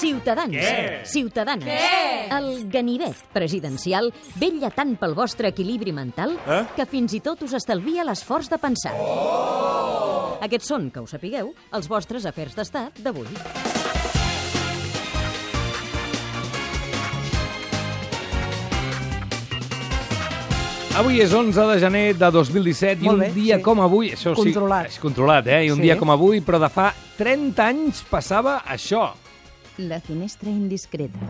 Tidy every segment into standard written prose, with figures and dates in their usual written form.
Ciutadans, ciutadanes, el ganivet presidencial vetlla tant pel vostre equilibri mental que fins i tot us estalvia l'esforç de pensar. Aquests són, que ho sapigueu, els vostres afers d'estat d'avui. Avui és 11 de gener de 2017 i un dia com avui... Això controlat. Sí, és controlat, I un dia com avui, però de fa 30 anys passava això. La finestra indiscreta.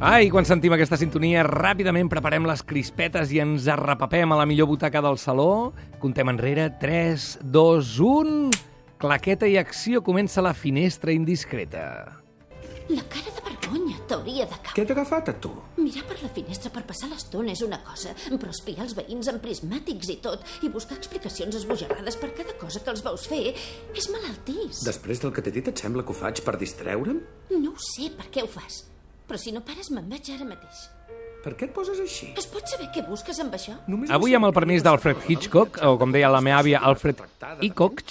Ai, quan sentim aquesta sintonia, ràpidament preparem les crispetes i ens arrepapem a la millor butaca del saló. Contem enrere, 3, 2, 1... Claqueta i acció, comença la finestra indiscreta. La cara de vergonya t'hauria de caure. Què t'ha agafat, a tu? Mirar per la finestra per passar l'estona és una cosa, però espiar els veïns amb prismàtics i tot, i buscar explicacions esbojarrades per cada cosa que els veus fer, és malaltís. Després del que t'he dit, et sembla que ho faig per distreure'm? No ho sé per què ho fas, però si no pares me'n vaig ara mateix. Per què et poses així? Es pot saber què busques amb això? Avui, amb el permís d'Alfred Hitchcock, o com deia la meva àvia, Alfred Hitchcock.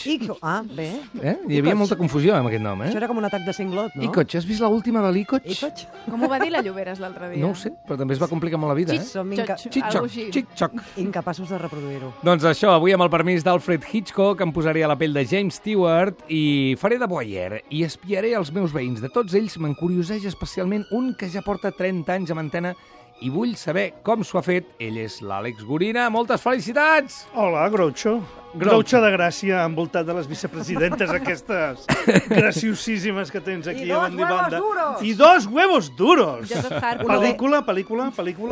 Bé. Hi havia molta confusió amb aquest nom, Això era com un atac de cinglot, no? Hitchcock, has vist l'última de l'Hitchcock? Com ho va dir la Lloberes l'altre dia? No ho sé, però també es va complicar molt la vida, Som Hitchcock. incapaços de reproduir-ho. Doncs això, avui amb el permís d'Alfred Hitchcock em posaré a la pell de James Stewart i faré de voyeur i espiaré els meus veïns. De tots ells m'encurioseix especialment un que ja porta 30 anys amb antena i vull saber com s'ho ha fet. Ell és l'Àlex Gorina. Moltes felicitats! Hola, Groucho. Groucho de Gràcia, envoltat de les vicepresidentes aquestes graciosíssimes que tens aquí a banda i banda. I dos huevos duros! Pel·lícula.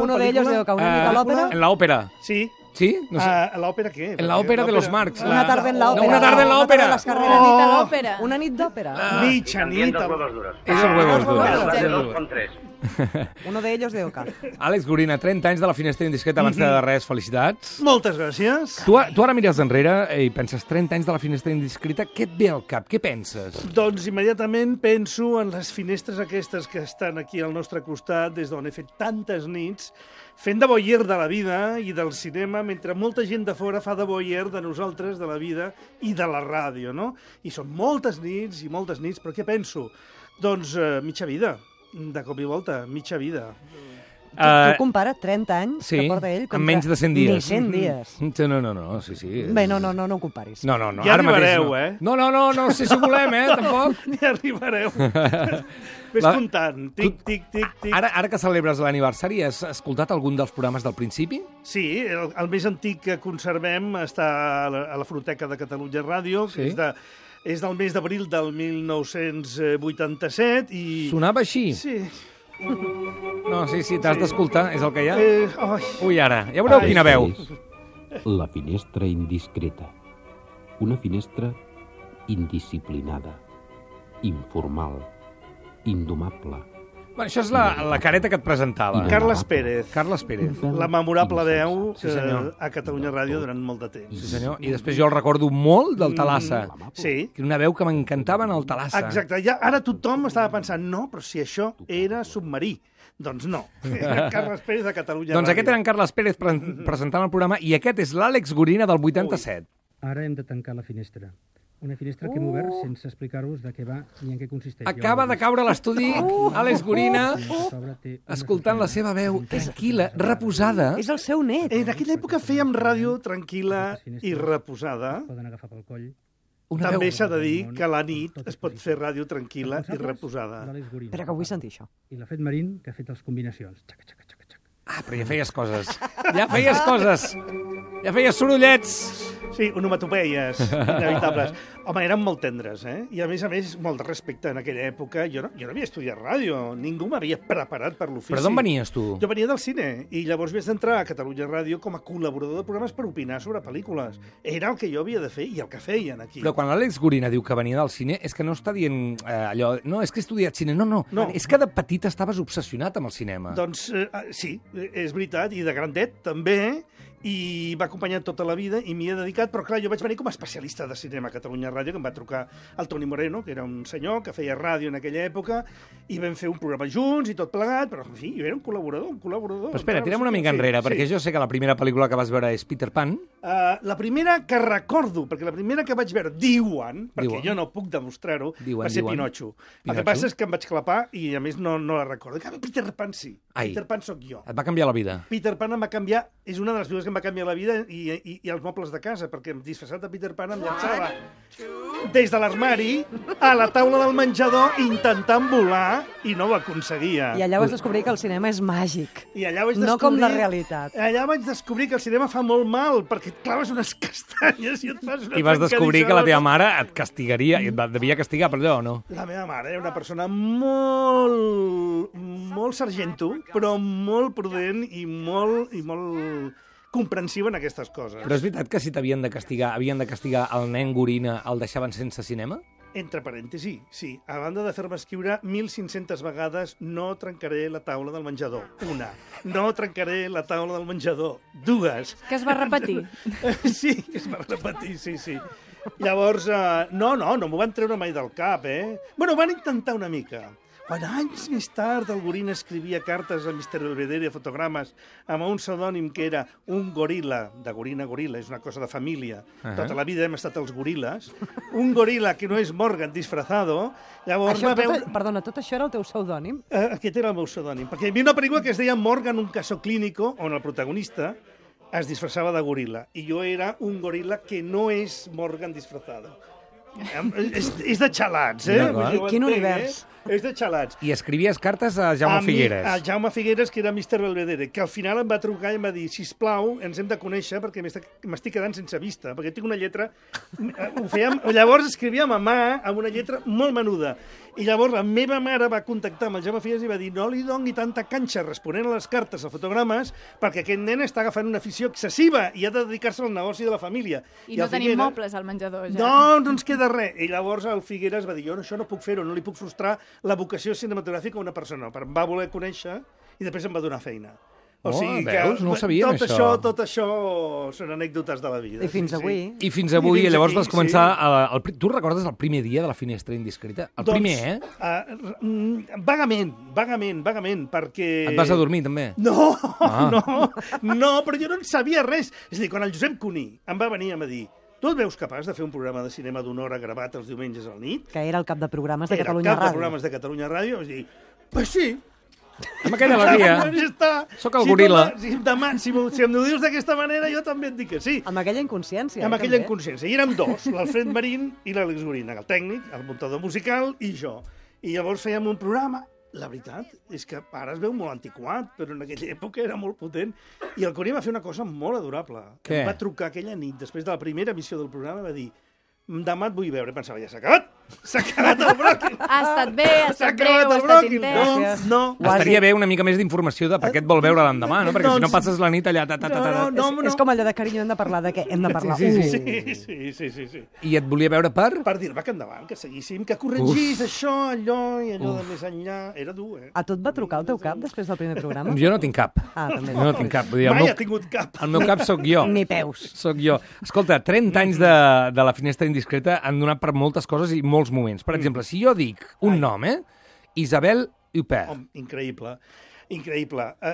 Uno de ellos de Oca, una nit a l'òpera. En l'òpera. Sí. Sí? No sé. ¿L'òpera què? En l'òpera de los Marx. Una tarde en la òpera. Una tarde en la òpera. Una nit a l'òpera. Una nit d'òpera. Mitja nit. És els huevos duros. Dos con tres. Uno de ellos de Oca. Àlex Gorina, 30 anys de la finestra indiscreta. Abans de res, felicitats. Moltes gràcies. Tu ara mires enrere i penses 30 anys de la finestra indiscreta. Què et ve al cap? Què penses? Doncs immediatament penso en les finestres aquestes que estan aquí al nostre costat, des d'on he fet tantes nits, fent de voyeur de la vida i del cinema, mentre molta gent de fora fa de voyeur de nosaltres, de la vida i de la ràdio, no? I són moltes nits, però què penso? Doncs mitja vida. De cop i volta, mitja vida. Tu compara 30 anys que porta ell amb menys de 100 dies. Ni 100 dies. No, sí. Bé, no ho comparis. No. Ja arribareu, No sé si volem, tampoc. Ja arribareu. Ves comptant. Tic, tic, tic, tic. Ara que celebres l'aniversari, has escoltat algun dels programes del principi? Sí, el més antic que conservem està a la Fonoteca de Catalunya Ràdio, que és del mes d'abril del 1987 i... Sonava així? Sí. No, sí, t'has d'escoltar, és el que hi ha. Ui, ara, ja veureu quina veu. La finestra indiscreta. Una finestra indisciplinada, informal, indomable. Bueno, això és la careta que et presentava. Carles Pérez. La memorable veu a Catalunya Ràdio durant molt de temps. Sí, senyor. I després jo el recordo molt del Talassa. Sí. Una veu que m'encantava en el Talassa. Exacte. Ara tothom estava pensant, no, però si això era submarí. Doncs no. Carles Pérez de Catalunya Ràdio. Doncs aquest era en Carles Pérez presentant el programa i aquest és l'Àlex Gorina del 87. Ara hem de tancar la finestra. Una finestra que hem obert sense explicar-vos de què va ni en què consisteix. Acaba de caure a l'estudi Àlex Gorina escoltant la seva veu tranquil·la, reposada. És el seu net. En aquella època fèiem ràdio tranquil·la i reposada. Poden agafar pel coll. També s'ha de dir que a la nit es pot fer ràdio tranquil·la i reposada. Espera, que vull sentir això. I la Fet Marín, que ha fet les combinacions. Xaca, xaca, xaca, xaca. Però ja feies coses. Ja feies sorollets. Sí, onomatopeies inevitables. Home, eren molt tendres, I a més, molt de respecte en aquella època. Jo no havia estudiat ràdio, ningú m'havia preparat per l'ofici. Però d'on venies, tu? Jo venia del cine, i llavors vaig d'entrar a Catalunya Ràdio com a col·laborador de programes per opinar sobre pel·lícules. Era el que jo havia de fer i el que feien aquí. Però quan l'Àlex Gorina diu que venia del cine, és que no està dient allò... No, és que he estudiat cine. No. És que de petit estaves obsessionat amb el cinema. Doncs sí, és veritat, i de grandet també, i m'ha acompanyat tota la vida i m'hi he dedicat, però clar, jo vaig venir com a especialista de cinema a Catalunya Ràdio, que em va trucar el Toni Moreno, que era un senyor que feia ràdio en aquella època, i vam fer un programa junts i tot plegat, però en fi, jo era un col·laborador. Però espera, tirem una mica enrere, perquè jo sé que la primera pel·lícula que vas veure és Peter Pan. La primera que recordo, perquè la primera que vaig veure, perquè jo no puc demostrar-ho, va ser Pinocho. El que passa és que em vaig clapar i, a més, no la recordo. Peter Pan sí. Peter Pan sóc jo. Et va canviar la vida. Peter Pan em va canviar, és una de les coses que em va canviar la vida i els mobles de casa, perquè disfressat de Peter Pan em llançava des de l'armari a la taula del menjador intentant volar i no ho aconseguia. I allà vas descobrir que el cinema és màgic. I allà vaig descobrir... No com la realitat. Allà vaig descobrir que el cinema fa molt mal, perquè et claves unes castanyes i et fas una... I vas descobrir que la teva mare et castigaria, i et devia castigar per allò, o no? La meva mare era una persona molt sargento, però molt prudent i molt comprensiva en aquestes coses. Però és veritat que si havien de castigar el nen gorina, el deixaven sense cinema? Entre parèntesis, sí. A banda de fer-me escriure 1.500 vegades no trencaré la taula del menjador. Una. No trencaré la taula del menjador. Dues. Que es va repetir. Sí, es va repetir, sí. Llavors, no m'ho van treure mai del cap, Bueno, van intentar una mica. Quan anys més tard el goril escrivia cartes a Mr. Belvedere, fotogrames, amb un pseudònim que era un goril·la, de gorina a goril·la, és una cosa de família. Tota la vida hem estat els goril·les. Un goril·la que no és Morgan disfrazado. Llavors Perdona, tot això era el teu pseudònim? Aquest era el meu pseudònim. Perquè hi havia una pel·lícula que es deia Morgan, un caso clínico, on el protagonista es disfressava de goril·la. I jo era un goril·la que no és Morgan disfrazado. És de xalats, Quin univers. És de xalats. I escrivies cartes a Jaume Figueres. A Jaume Figueres, que era Mr. Belvedere, que al final em va trucar i em va dir, sisplau, ens hem de conèixer perquè m'estic quedant sense vista, perquè tinc una lletra... Llavors escrivíem a mà amb una lletra molt menuda. I llavors la meva mare va contactar amb el Jaume Figueres i va dir no li doni tanta canxa responent a les cartes, a fotogrames, perquè aquest nen està agafant una afició excessiva i ha de dedicar-se al negoci de la família. I no tenim mobles al menjador, ja. No ens queda res. I llavors el Figueres va dir jo això no puc fer-ho, no li puc frustrar la vocació cinematogràfica a una persona. Em va voler conèixer i després em va donar feina. O sigui veus? No ho sabíem, això. Tot això són anècdotes de la vida. I fins avui. I fins avui, i llavors vas començar... Tu recordes el primer dia de la finestra indiscreta? El primer, Vagament, perquè... Et vas a dormir, també? No, però jo no en sabia res. És a dir, quan el Josep Cuní em va venir a dir tu et veus capaç de fer un programa de cinema d'una hora gravat els diumenges al nit? Que era el cap de programes de Catalunya Ràdio. Era el cap de programes de Catalunya Ràdio. Vaig dir, pues sí. Amb aquella alegria. Soc el goril·la. Si em ho dius d'aquesta manera, jo també et dic que sí. Amb aquella inconsciència. Amb aquella inconsciència. I érem dos, l'Alfred Marín i l'Àlex Gorina, el tècnic, el muntador musical i jo. I llavors fèiem un programa. La veritat és que ara es veu molt antiquat, però en aquella època era molt potent. I el Cuní va fer una cosa molt adorable. Què? Em va trucar aquella nit, després de la primera emissió del programa, va dir demà et vull veure. I pensava, ja s'ha acabat. S'ha acabat el bròquil. Ha estat bé, ha estat breu, ha estat intens. No. Estaria bé una mica més d'informació de per què et vol veure l'endemà, no? Perquè si no passes la nit allà... És com allò de carinyo, hem de parlar de què? Hem de parlar. Sí. I et volia veure per? Per dir-me que endavant, que seguíssim, que corregís això, allò i allò de més enllà. Era dur, A tu et va trucar el teu cap després del primer programa? Jo no tinc cap. També. No tinc cap. Mai ha tingut cap. El meu cap sóc jo. Ni peus. Sóc jo. Escolta, 30 anys de la finestra indiscreta han donat per moltes coses i molts moments. Per exemple, si jo dic un nom, Isabelle Huppert. Increïble.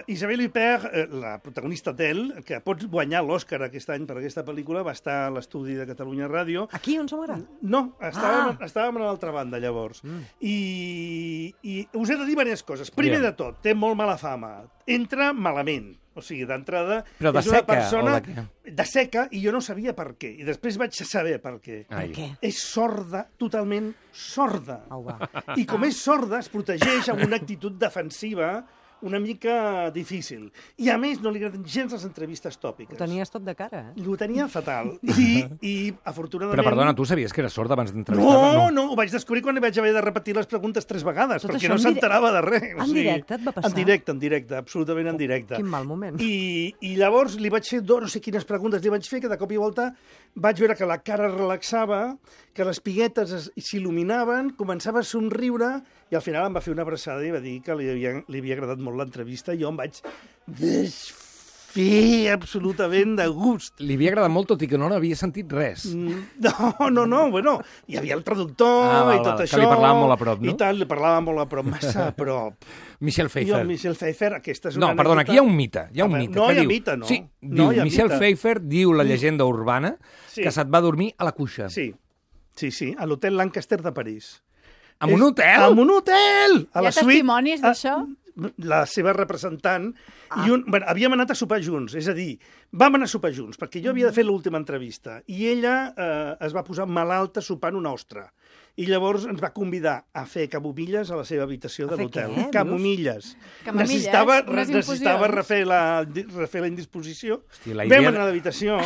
Isabelle Huppert, la protagonista d'Elle, que pot guanyar l'Oscar aquest any per aquesta pel·lícula, va estar a l'estudi de Catalunya Ràdio. Aquí, on som ara? No, estàvem a l'altra banda, llavors. I us he de dir diverses coses. Primer de tot, té molt mala fama. Entra malament. O sigui, d'entrada, és una persona de seca, i jo no sabia per què. I després vaig saber per què. Per què? És sorda, totalment sorda. I com és sorda, es protegeix amb una actitud defensiva una mica difícil. I, a més, no li agraden gens les entrevistes tòpiques. Ho tenies tot de cara, Ho tenia fatal. I afortunadament... Però, perdona, tu sabies que era sorda abans d'entrevistar-la? No, ho vaig descobrir quan li vaig haver de repetir les preguntes 3 vegades, perquè no s'enterava de res. En directe et va passar? En directe, absolutament en directe. Quin mal moment. I llavors li vaig fer no sé quines preguntes li vaig fer, que de cop i volta vaig veure que la cara es relaxava, que les piguetes s'il·luminaven, començava a somriure, i al final em va fer una abraçada i va dir que li havia agradat molt l'entrevista, i jo em vaig fer absolutament de gust. Li havia agradat molt, tot i que no n'havia sentit res. No, bueno, hi havia el traductor i tot això. Que li parlava molt a prop, no? I tal, li parlava molt a prop, massa a prop. Michel Pfeiffer. Michel Pfeiffer, aquesta és una No, perdona, aquí hi ha un mite. No hi ha mite, no. Sí, diu, Michel Pfeiffer diu la llegenda urbana que se't va dormir a la cuixa. Sí, a l'hotel Lancaster de París. En un hotel? En un hotel! Hi ha testimonis d'això? La seva representant, havíem anat a sopar junts, és a dir, vam anar a sopar junts, perquè jo havia de fer l'última entrevista, i ella es va posar malalta sopant una ostra, i llavors ens va convidar a fer camomilles a la seva habitació de l'hotel. Camomilles. Necessitava refer la indisposició. Vam anar a l'habitació,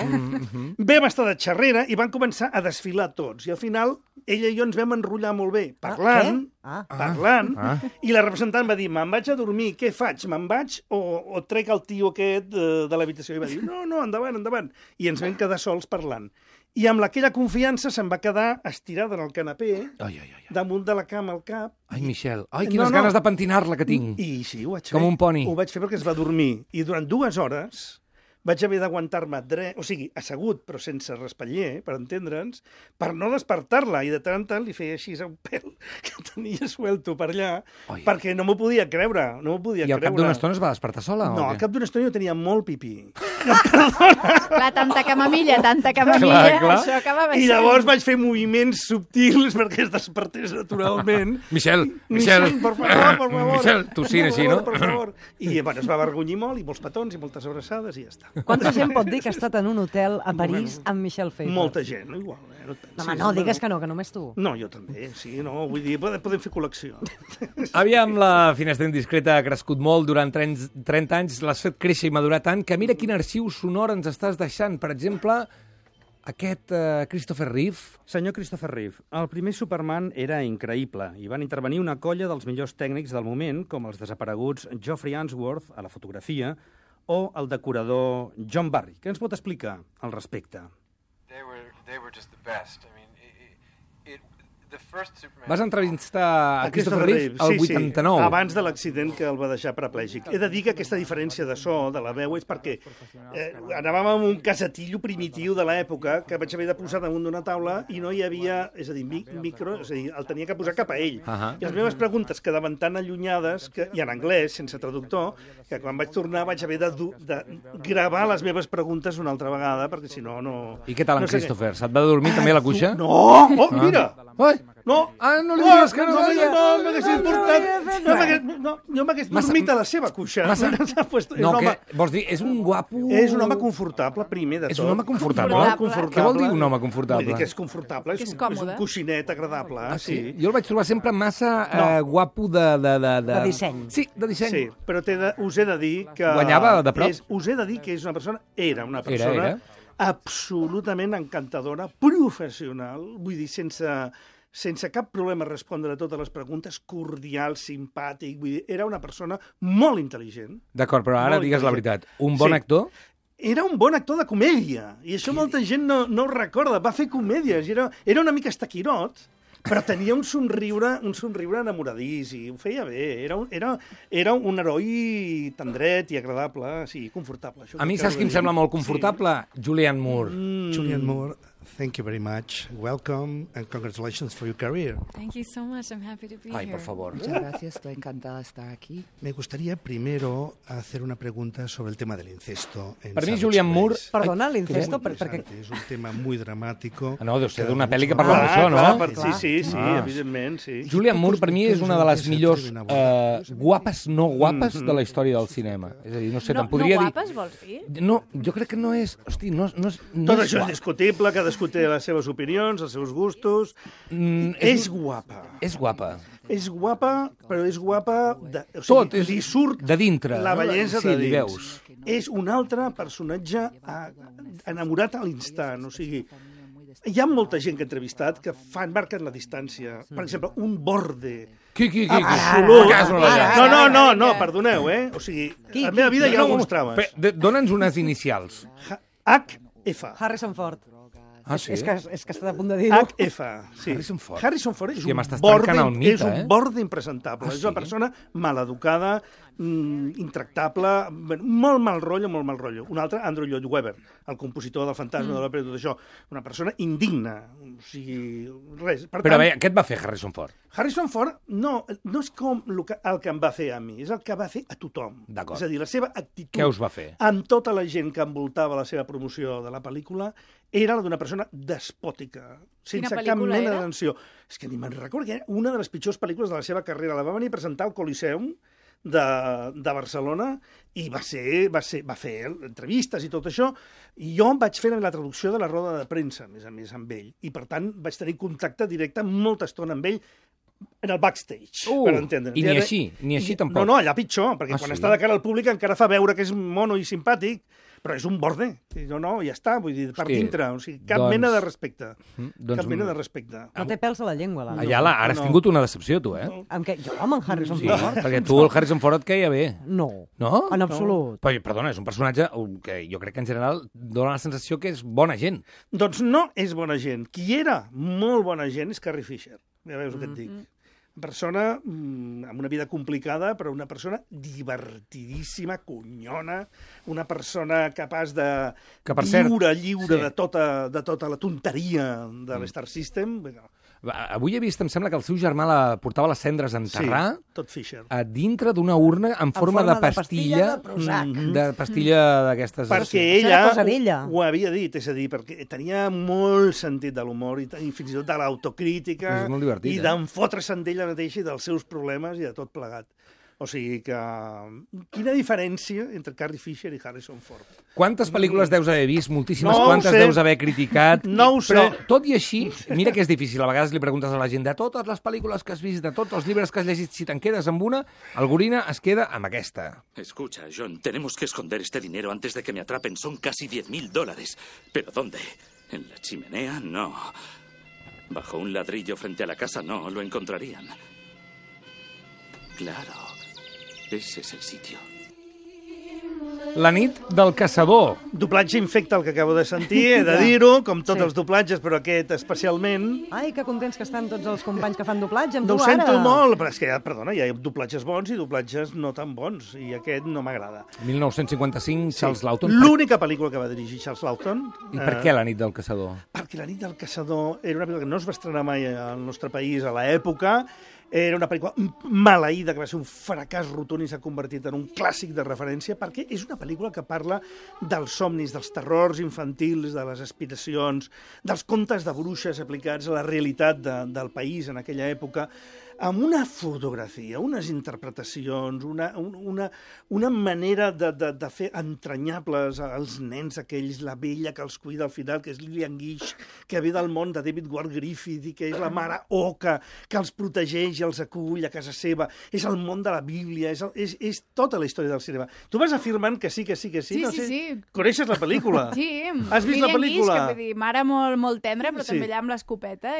vam estar de xerrera i van començar a desfilar tots, i al final ella i jo ens vam enrotllar molt bé, parlant, i la representant va dir, me'n vaig a dormir, què faig? Me'n vaig o trec el tio aquest de l'habitació? I va dir, no, endavant. I ens vam quedar sols parlant. I amb aquella confiança se'n va quedar estirada en el canapé, damunt de la cama al cap. Ai, Michel, quines ganes de pentinar-la que tinc. I sí, ho vaig fer. Com un poni. Ho vaig fer perquè es va dormir. I durant 2 hores vaig haver d'aguantar-me assegut, però sense respatller, per entendre'ns, per no despertar-la. I de tant en tant li feia així un pèl que tenia suelto per allà, perquè no m'ho podia creure. I al cap d'una estona es va despertar sola? No, al cap d'una estona jo tenia molt pipí. Clar, tanta camamilla, això acabava I llavors vaig fer moviments subtils perquè es despertés naturalment. Michel, por favor. Michel, tossint així, no? Per favor. I es va avergonyir molt, i molts petons, i moltes abraçades, i ja està. Quanta gent pot dir que ha estat en un hotel a París amb Michel Pfeiffer? Molta gent, igual. No, digues que només tu. No, jo també, sí, vull dir, podem fer col·lecció. Aviam, la Finestra Indiscreta ha crescut molt durant 30 anys, l'has fet créixer i madurar tant, que mira quin arxiu sonor ens estàs deixant. Per exemple, aquest Christopher Reeve. Senyor Christopher Reeve, el primer Superman era increïble i van intervenir una colla dels millors tècnics del moment, com els desapareguts Geoffrey Unsworth, a la fotografia, o el decorador John Barry. Què ens pot explicar al respecte? They were just the best. I mean, Vas entrevistar a Christopher Reeve al 89. Sí, abans de l'accident que el va deixar paraplègic. He de dir que aquesta diferència de so, de la veu, és perquè anàvem amb un casetillo primitiu de l'època que vaig haver de posar damunt d'una taula i no hi havia, és a dir, micro, és a dir, el tenia que posar cap a ell. I les meves preguntes quedaven tan allunyades, i en anglès, sense traductor, que quan vaig tornar vaig haver de gravar les meves preguntes una altra vegada, perquè si no, no... I què tal en Christopher? Se't va dormir també a la cuixa? No! Oh, mira! No, no li digues que no sabia. No, m'hagués importat. Jo m'hagués dormit a la seva cuixa. No, què vols dir? És un guapo... És un home confortable, primer de tot. És un home confortable? Què vol dir un home confortable? Vull dir que és confortable, és un coixinet agradable. Jo el vaig trobar sempre massa guapo de... De disseny. Sí, de disseny. Sí, però us he de dir que... Guanyava de prop? Us he de dir que és una persona... Era una persona absolutament encantadora, professional, vull dir, sense cap problema respondre a totes les preguntes, cordial, simpàtic, vull dir, era una persona molt intel·ligent. D'acord, però ara digues la veritat. Un bon actor? Era un bon actor de comèdia, i això molta gent no ho recorda. Va fer comèdies, era una mica estaquirot, però tenia un somriure enamoradís i ho feia bé. Era un heroi tendret i agradable, sí, confortable. A mi saps qui em sembla molt confortable? Julianne Moore. Julianne Moore, thank you very much. Welcome and congratulations for your career. Thank you so much. I'm happy to be here. Ay, por favor. Muchas gracias. Estoy encantada de estar aquí. Me gustaría primero hacer una pregunta sobre el tema del incesto. Per mi, Julianne Moore... Perdona, l'incesto? Perquè... És un tema muy dramático. No, deu ser d'una pel·li que parla d'això, no? Sí, evidentment, sí. Julianne Moore, per mi, és una de les millors guapes, no guapes de la història del cinema. És a dir, no sé, te'n podria dir... No guapes, vols dir? No, jo crec que no és... Hosti, no és... Tot això és discutible, cadascú té les seves opinions, els seus gustos. És guapa. És guapa. És guapa, però és guapa... Tot, li surt de dintre. La bellesa de dins. Veus. És un altre personatge enamorat a l'instant, o sigui... Hi ha molta gent que he entrevistat que marquen la distància. Per exemple, un borde... Qui? Absolut. No, perdoneu, O sigui, la meva vida hi ha alguns trames. Dóna'ns unes inicials. HF. Harrison Ford. Ah, sí? És que està a punt de dir-ho. HF, sí. Harrison Ford és un borde impresentable. És una persona maleducada, intractable, molt mal rotllo, molt mal rotllo. Un altre, Andrew Lloyd Webber, el compositor del Fantasma de l'Òpera i tot això. Una persona indigna, o sigui, res. Per Però tant, bé, què et va fer Harrison Ford? Harrison Ford no és com el que em va fer a mi, és el que va fer a tothom. D'acord. És a dir, la seva actitud... Què us va fer? Amb tota la gent que envoltava la seva promoció de la pel·lícula era la d'una persona despòtica, sense cap mena d'atenció. És que ni me'n recordo, que era una de les pitjors pel·lícules de la seva carrera. La va venir a presentar al Coliseum de Barcelona i va fer entrevistes i tot això, i jo em vaig fer la traducció de la roda de premsa, a més amb ell, i per tant vaig tenir contacte directe molta estona amb ell en el backstage, per entendre'ns. I ni així tampoc? No, allà pitjor, perquè quan està de cara al públic encara fa veure que és mono i simpàtic, però és un borde. No, ja està, vull dir, per dintre. O sigui, cap mena de respecte. Cap mena de respecte. No té pels a la llengua, l'Anna. Ayala, ara has tingut una decepció, tu, eh? Amb què? Jo, amb en Harrison Ford? Perquè tu, el Harrison Ford, et queia bé. No. No? En absolut. Però, perdona, és un personatge que jo crec que en general dona la sensació que és bona gent. Doncs no és bona gent. Qui era molt bona gent és Carrie Fisher. Ja veus el que et dic. Persona amb una vida complicada, però una persona divertidíssima, conyona, una persona capaç de lliure de tota la tonteria de l'Star System. Avui he vist, em sembla que el seu germà la portava les cendres a enterrar a dintre d'una urna en forma de pastilla de pastilla d'aquestes... Perquè ella ho havia dit, és a dir, perquè tenia molt sentit de l'humor i fins i tot de l'autocrítica i d'enfotre-se'n d'ella mateixa i dels seus problemes i de tot plegat. O sigui que... Quina diferència entre Carrie Fisher i Harrison Ford? Quantes pel·lícules deus haver vist? Moltíssimes. Quantes deus haver criticat? No ho sé. Però, tot i així, mira que és difícil. A vegades li preguntes a la gent de totes les pel·lícules que has vist, de tots els llibres que has llegit, si te'n quedes amb una, el Gorina es queda amb aquesta. Escucha, John, tenemos que esconder este dinero antes de que me atrapen. Son casi $10,000. ¿Pero dónde? ¿En la chimenea? No. ¿Bajo un ladrillo frente a la casa? No, lo encontrarían. Claro. Ese es el sitio. La nit del caçador. Doblatge infecte el que acabo de sentir, he de dir-ho, com tots els doblatges, però aquest especialment. Ai, que contents que estan tots els companys que fan doblatge amb tu ara. Ho sento molt, però és que, perdona, hi ha doblatges bons i doblatges no tan bons, i aquest no m'agrada. 1955, Charles Laughton. L'única pel·lícula que va dirigir Charles Laughton. I per què La nit del caçador? Perquè La nit del caçador era una pel·lícula que no es va estrenar mai al nostre país a l'època. Era una pel·lícula maleïda, que va ser un fracàs rotund i s'ha convertit en un clàssic de referència, perquè és una pel·lícula que parla dels somnis, dels terrors infantils, de les aspiracions, dels contes de bruixes aplicats a la realitat del país en aquella època, amb una fotografia, unes interpretacions, una manera de fer entranyables els nens aquells, la vella que els cuida al final, que és Lillian Gish, que ve del món de David Ward Griffith i que és la mare Oca, que els protegeix i els acull a casa seva. És el món de la Bíblia, és tota la història del cinema. Tu vas afirmant que sí. Sí. Coneixes la pel·lícula? Sí. Has vist la pel·lícula? Gish, que vull dir, mare molt tendra, però també allà amb l'escopeta.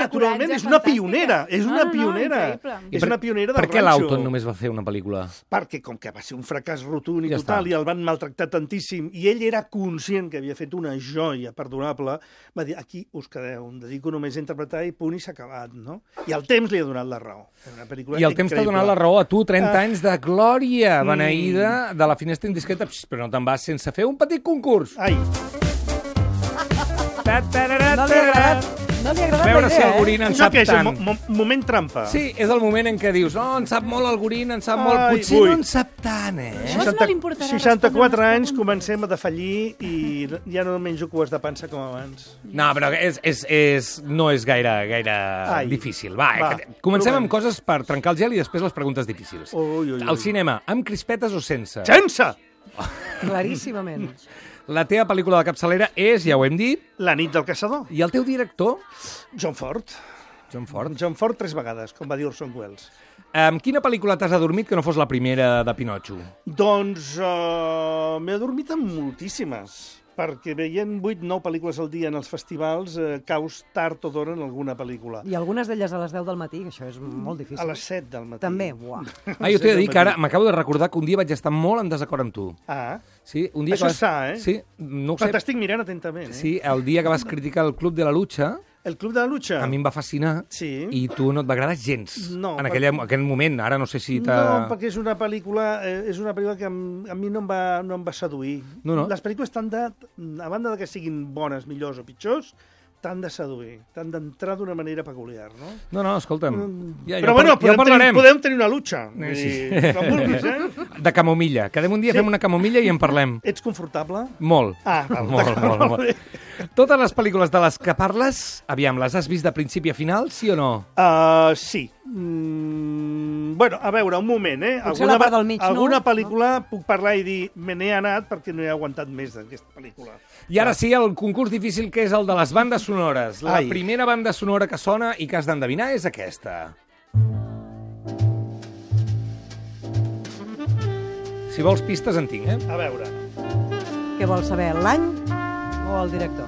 Naturalment, és una pionera. És una pionera. És una pionera del ranxo. Per què Laughton només va fer una pel·lícula? Perquè, com que va ser un fracàs rotund i total, i el van maltractar tantíssim, i ell era conscient que havia fet una joia perdonable, va dir, aquí us quedeu, em dedico només a interpretar i punt i s'ha acabat, no? I el temps li ha donat la raó. I el temps t'ha donat la raó a tu, 30 anys de glòria beneïda de La finestra indiscreta, però no te'n vas sense fer un petit concurs. Ai! No li ha agradat veure si el Gorina en sap tant. Moment trampa. Sí, és el moment en què dius, no, en sap molt el Gorina, en sap molt. Potser no en sap tant, eh? 64 anys, comencem a defallir i ja no menjo cues de pansa com abans. No, però no és gaire difícil. Va, comencem amb coses per trencar el gel i després les preguntes difícils. Al cinema, amb crispetes o sense? Sense! Claríssimament. La teva pel·lícula de capçalera és, ja ho hem dit... La nit del caçador. I el teu director? John Ford. John Ford 3 vegades, com va dir Orson Welles. Amb quina pel·lícula t'has adormit que no fos la primera de Pinotxo? Doncs m'he adormit amb moltíssimes, perquè veient 8-9 pel·lícules al dia en els festivals caus tard o d'hora en alguna pel·lícula. I algunes d'elles a les 10 del matí, que això és molt difícil. A les 7 del matí. També, uah. Jo t'he de dir que ara m'acabo de recordar que un dia vaig estar molt en desacord amb tu. Sí, un dia això és sa, eh? Sí, no ho sé. Però t'estic mirant atentament, eh? Sí, el dia que vas criticar el Club de la Lucha... El Club de la Lucha. A mi em va fascinar i tu no et va agradar gens. No. En aquell moment, ara no sé si No, perquè és una pel·lícula que a mi no em va seduir. No. Les pel·lícules a banda de que siguin bones, millors o pitjors, t'han de seduir, t'han d'entrar d'una manera peculiar, no? No, escolta'm. Però bueno, podem tenir una lucha. Sí. De camomilla. Quedem un dia, fem una camomilla i en parlem. Ets confortable? Molt. Molt. Totes les pel·lícules de les que parles, aviam, les has vist de principi a final, sí o no? Sí. Bueno, a veure, un moment, Potser la part del mig, alguna pel·lícula puc parlar i dir me n'he anat perquè no he aguantat més d'aquesta pel·lícula. I ara sí, el concurs difícil que és el de les bandes sonores. La primera banda sonora que sona i que has d'endevinar és aquesta. Si vols pistes en tinc, A veure. Què vols saber, l'any o el director?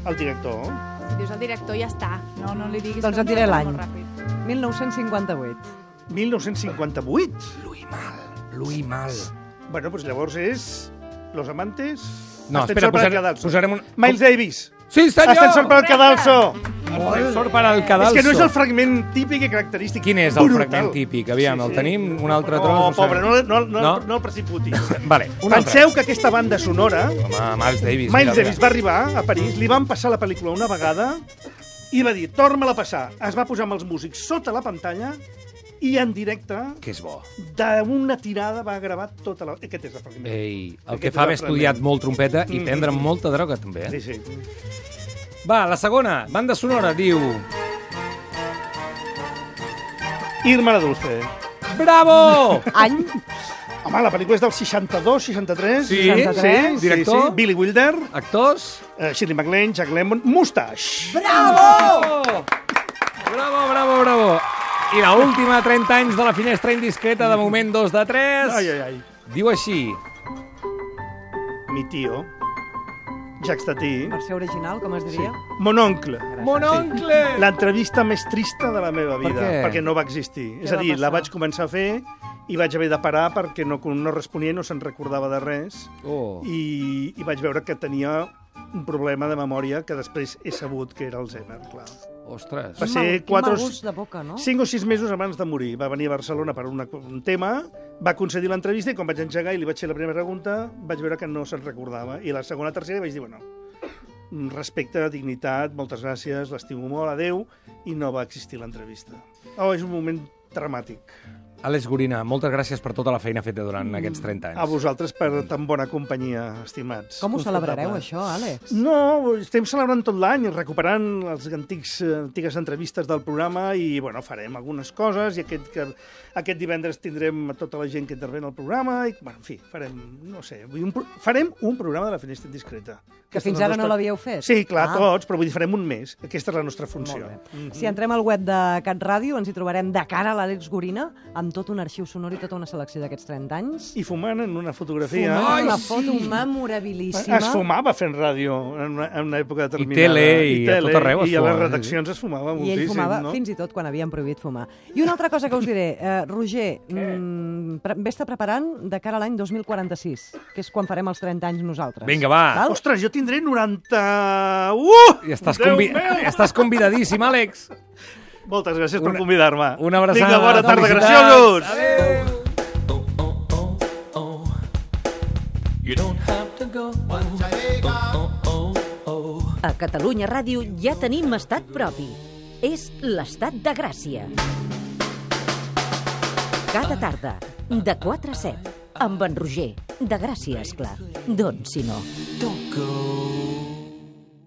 El director. Si dius el director ja està. No li diguis... Doncs et diré l'any. 1958. 1958? Louis Mal. Bueno, doncs llavors és... Los Amantes... No, espera, posarem un... Miles Davis. Sí, senyor! Ascensor per al Cadalso. Ascensor per al Cadalso. És que no és el fragment típic i característic. Quin és el fragment típic? Aviam, el tenim? Un altre tros? No, pobre, no el precipitis. Vale, penseu que aquesta banda sonora... Home, Miles Davis. Miles Davis va arribar a París, li van passar la pel·lícula una vegada i va dir, torna-la a passar. Es va posar amb els músics sota la pantalla i en directe, que és bo, d'una tirada va gravar tota la... Aquest és el fragment. Ei, el que fa haver estudiat molt trompeta i prendre molta droga, també. Sí. Va, la segona, banda sonora, diu... Irma la Dulce. Bravo! Any? Home, la pel·lícula és del 62, 63. Sí, 63. Director. Sí. Billy Wilder. Actors. Shirley MacLaine, Jack Lemmon, Mustache. Bravo! Bravo! I l'última, 30 anys de la finestra indiscreta, de moment 2 de 3. Ai. Diu així. Mi tío, Jacques Tati. Versió original, com es diria? Sí. Mon oncle. Mon oncle! Sí. L'entrevista més trista de la meva vida. Per què? Perquè no va existir. És a dir, la vaig començar a fer i vaig haver de parar perquè no responia i no se'n recordava de res. I vaig veure que tenia un problema de memòria que després he sabut que era Alzheimer, clar. Ostres. Va ser 5 o 6 mesos abans de morir. Va venir a Barcelona per un tema, va concedir l'entrevista i quan vaig engegar i li vaig fer la primera pregunta vaig veure que no se'n recordava. I la segona, tercera vaig dir, bueno, respecte, dignitat, moltes gràcies, l'estimo molt, adeu, i no va existir l'entrevista. És un moment dramàtic. Àlex Gorina, moltes gràcies per tota la feina feta durant aquests 30 anys. A vosaltres per tan bona companyia, estimats. Com ho celebrareu, això, Àlex? No, estem celebrant tot l'any, recuperant les antigues entrevistes del programa i, bueno, farem algunes coses i aquest divendres tindrem tota la gent que intervé en el programa i, bueno, en fi, farem un programa de la finestra indiscreta. Que fins ara no l'havíeu fet? Sí, clar, tots, però vull dir, farem un mes. Aquesta és la nostra funció. Si entrem al web de Cat Ràdio, ens hi trobarem de cara a l'Àlex Gorina, amb tot un arxiu sonor i tota una selecció d'aquests 30 anys. I fumant en una fotografia. Fumant una foto memorabilíssima. Es fumava fent ràdio en una època determinada. I tele, i a tot arreu es fumava. I a les redaccions es fumava moltíssim, no? I ell fumava fins i tot quan havien prohibit fumar. I una altra cosa que us diré, Roger, vés-te preparant de cara a l'any 2046, que és quan farem els 30 anys nosaltres. Vinga, va. Val? Ostres, jo tindré 90... I estàs convidadíssim, Àlex. Moltes gràcies per convidar-me. Una abraçada. Vinga, bona tarda, graciosos! Adéu! A Catalunya Ràdio ja tenim estat propi. És l'Estat de Gràcia. Cada tarda, de 4 a 7, amb en Roger. De Gràcia, esclar. Doncs si no.